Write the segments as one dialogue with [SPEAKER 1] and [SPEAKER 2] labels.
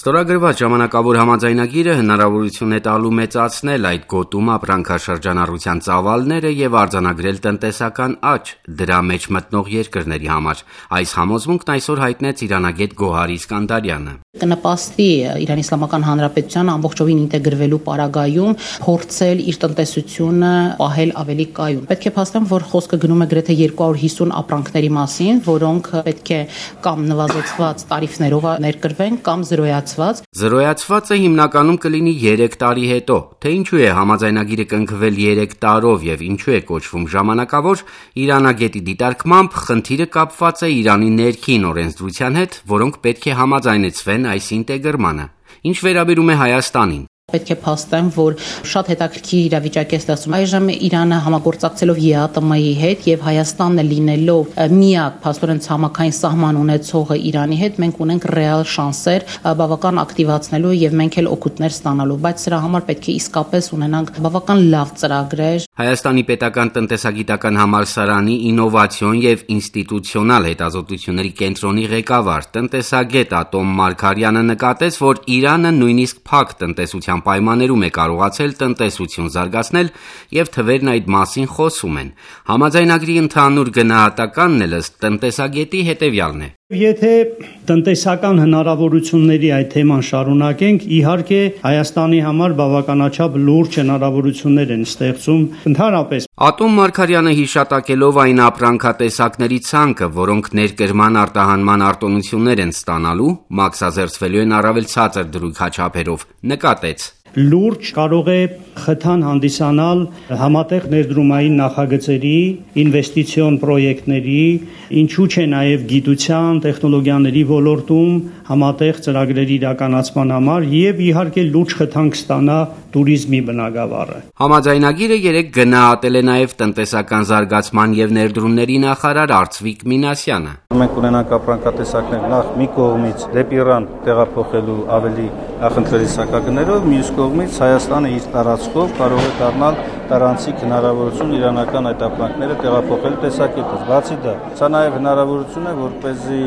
[SPEAKER 1] Ստորագրված ժամանակավոր համաձայնագիրը հնարավորություն է տալու մեծացնել այդ գոտում ապրանքաշրջանառության ծավալները եւ արձանագրել տնտեսական աճ դրա մեջ մտնող երկրների համար։ Այս համոզմունքն այսօր հայտնեց իրանագետ Գոհար Իսկանդարյանը։
[SPEAKER 2] Կնպաստի Իրանի Իսլամական Հանրապետության ամբողջովին ինտեգրվելու պարագայում փորձել իր տնտեսությունը պահել ավելի կայուն։ Պետք է փաստեմ, որ խոսքը գնում է գրեթե 250 ապրանքների մասին, որոնք պետք է կամ նվազեցված տարիֆներով ներկրվեն կամ զրոյացված։
[SPEAKER 1] Զրոյացվածը հիմնականում կլինի 3 տարի հետո։ Թե ինչու է համաձայնագիրը կնքվել 3 տարով եւ ինչու է կոչվում ժամանակավոր, իրանագետի դիտարկմամբ խնդիրը կապված է Իրանի ներքին օրենսդրության հետ, որոնք պետք է համաձայնեցվեն այս ինտեգրմանը։ Ինչ վերաբերում է Հայաստանին,
[SPEAKER 2] պետք է փաստեմ, որ շատ հետաքրքիր իրավիճակ է ստեղծում։ Այժմ Իրանը համագործակցելով ԵԱՏՄ-ի հետ եւ Հայաստանը լինելով միակ փաստորեն ցամաքային սահման ունեցողը Իրանի հետ, մենք ունենք ռեալ շանսեր բավական ակտիվացնելու եւ մենք էլ օգուտներ ստանալու, բայց սրա համար պետք է իսկապես ունենանք բավական լավ ծրագրեր։
[SPEAKER 1] Հայաստանի պետական տնտեսագիտական համալսարանի ինովացիոն եւ ինստիտուցիոնալ հետազոտությունների կենտրոնի ղեկավար տնտեսագետ Ատոմ Մարգարյանը նկատեց, որ Իրանը նույնիսկ փակ տնտեսության պայմաններում է կարողացել տնտեսություն զարգացնել եւ թվերն այդ մասին խոսում են։ Համաձայնագրի ընդհանուր գնահատականն էլ ըստ տնտեսագետի հետեւյալն է.
[SPEAKER 3] Եթե տնտեսական հնարավորությունների այդ թեման շարունակենք, իհարկե Հայաստանի համար բավականաչափ լուրջ հնարավորություններ են ստեղծում ընդհանրապես։
[SPEAKER 1] Ատոմ Մարգարյանը հիշատակելով այն ապրանքատեսակների ցանկը, որոնք ներկրման արտահանման արտոնություններ են ստանալու, մաքսազերծվելու են առավել ցածր դրույքաչափերով, նկատեց.
[SPEAKER 3] Լուրջ կարող է խթան հանդիսանալ համատեղ ներդրումային նախագծերի, ինվեստիցիոն պրոյեկտների, ինչու չէ նաև գիտության, տեխնոլոգիաների ոլորտում համատեղ ծրագրերի իրականացման համար եւ իհարկե լուրջ խթան կստանա տուրիզմի բնագավառը։
[SPEAKER 1] Համաձայնագիրը 3 գնահատել է նաև տնտեսական զարգացման եւ ներդրումների նախարար Արծվիկ Մինասյանը։
[SPEAKER 4] Մենք ունենանք ապրանքատեսակներ նախ մի կողմից դեպի Իրան տեղափոխելու ավելի նախընտրելի սակագներով, մյուս կողմից Հայաստանը իր տարածքով կարող է դառնալ տարանցիկ հնարավորություն իրանական այդ ապրանքները տեղափոխել տեսակետից։ Բացի դա, սա նաև հնարավորություն է, որպեսզի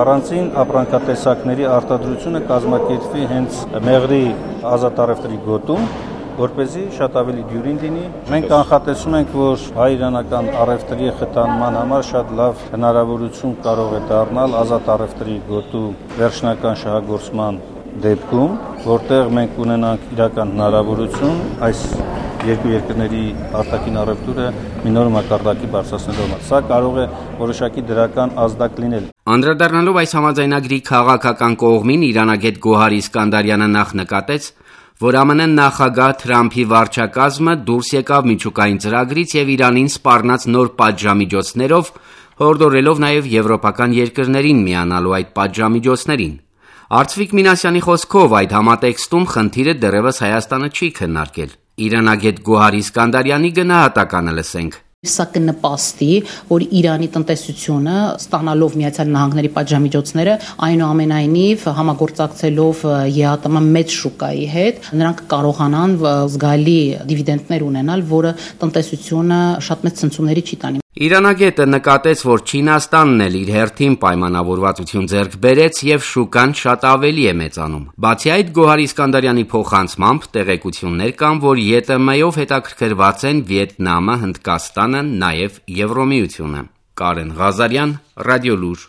[SPEAKER 4] առանցին ապրանքատեսակների արտադրությունը կազմակերպվի հենց մեղրի ազատ առևտրի գոտում, որպեսզի շատ ավելի դյուրին լինի։ Մենք կանխատեսում ենք, որ հայ-իրանական առևտրի խթանման համար շատ լավ հնարավորություն կարող է դառնալ ազատ առևտրի գոտու վերջնական շահագործման դեպքում, որտեղ մենք ունենանք իրական հնարավորություն այս երկու երկրների արտաքին առևտուրը մի նոր մակարդակի բարձրացնելու համար։ Սա կարող է որոշակի դրական ազդակ լինել։
[SPEAKER 1] Անդրադառնալով այս համաձայնագրի քաղաքական կողմին, իրանագետ Գոհար Իսկանդարյանը նախ նկատեց, որ ԱՄՆ նախագահ Թրամփի վարչակազմը դուրս եկավ միջուկային ծրագրից եւ Իրանին սպառնաց նոր պատժամիջոցներով, հորդորելով նաեւ եվրոպական երկրներին միանալու այդ պատժամիջոցներին։ Արծվիկ Մինասյանի խոսքով այդ համատեքստում խնդիրը դեռևս Հայաստանը չի քննարկել։ Իրանագետ Գոհար Իսկանդարյանի գնահատականը լսենք.
[SPEAKER 2] Սա կնպաստի, որ Իրանի տնտեսությունը ստանալով Միացյալ Նահանգների պատժամիջոցները, այնուամենայնիվ համագործակցելով ԵԱՏՄ մեծ շուկայի հետ, նրանք կարողանան զգալի դիվիդենդներ ունենալ, որը տնտեսությունը շատ մեծ ցնցումների չի տանի։
[SPEAKER 1] Իրանագետը նկատեց, որ Չինաստանն էլ իր հերթին պայմանավորվածություն ձեռք բերեց եւ շուկան շատ ավելի է մեծանում։ Բացի այդ, Գոհար Իսկանդարյանի փոխանցմամբ տեղեկություններ կան, որ ԵՏՄ-ով հետաքրքրված են Վիետնամը, Հնդկաստանը, նաեւ Եվրոմիությունը։ Կարեն Ղազարյան, Ռադիոլուր։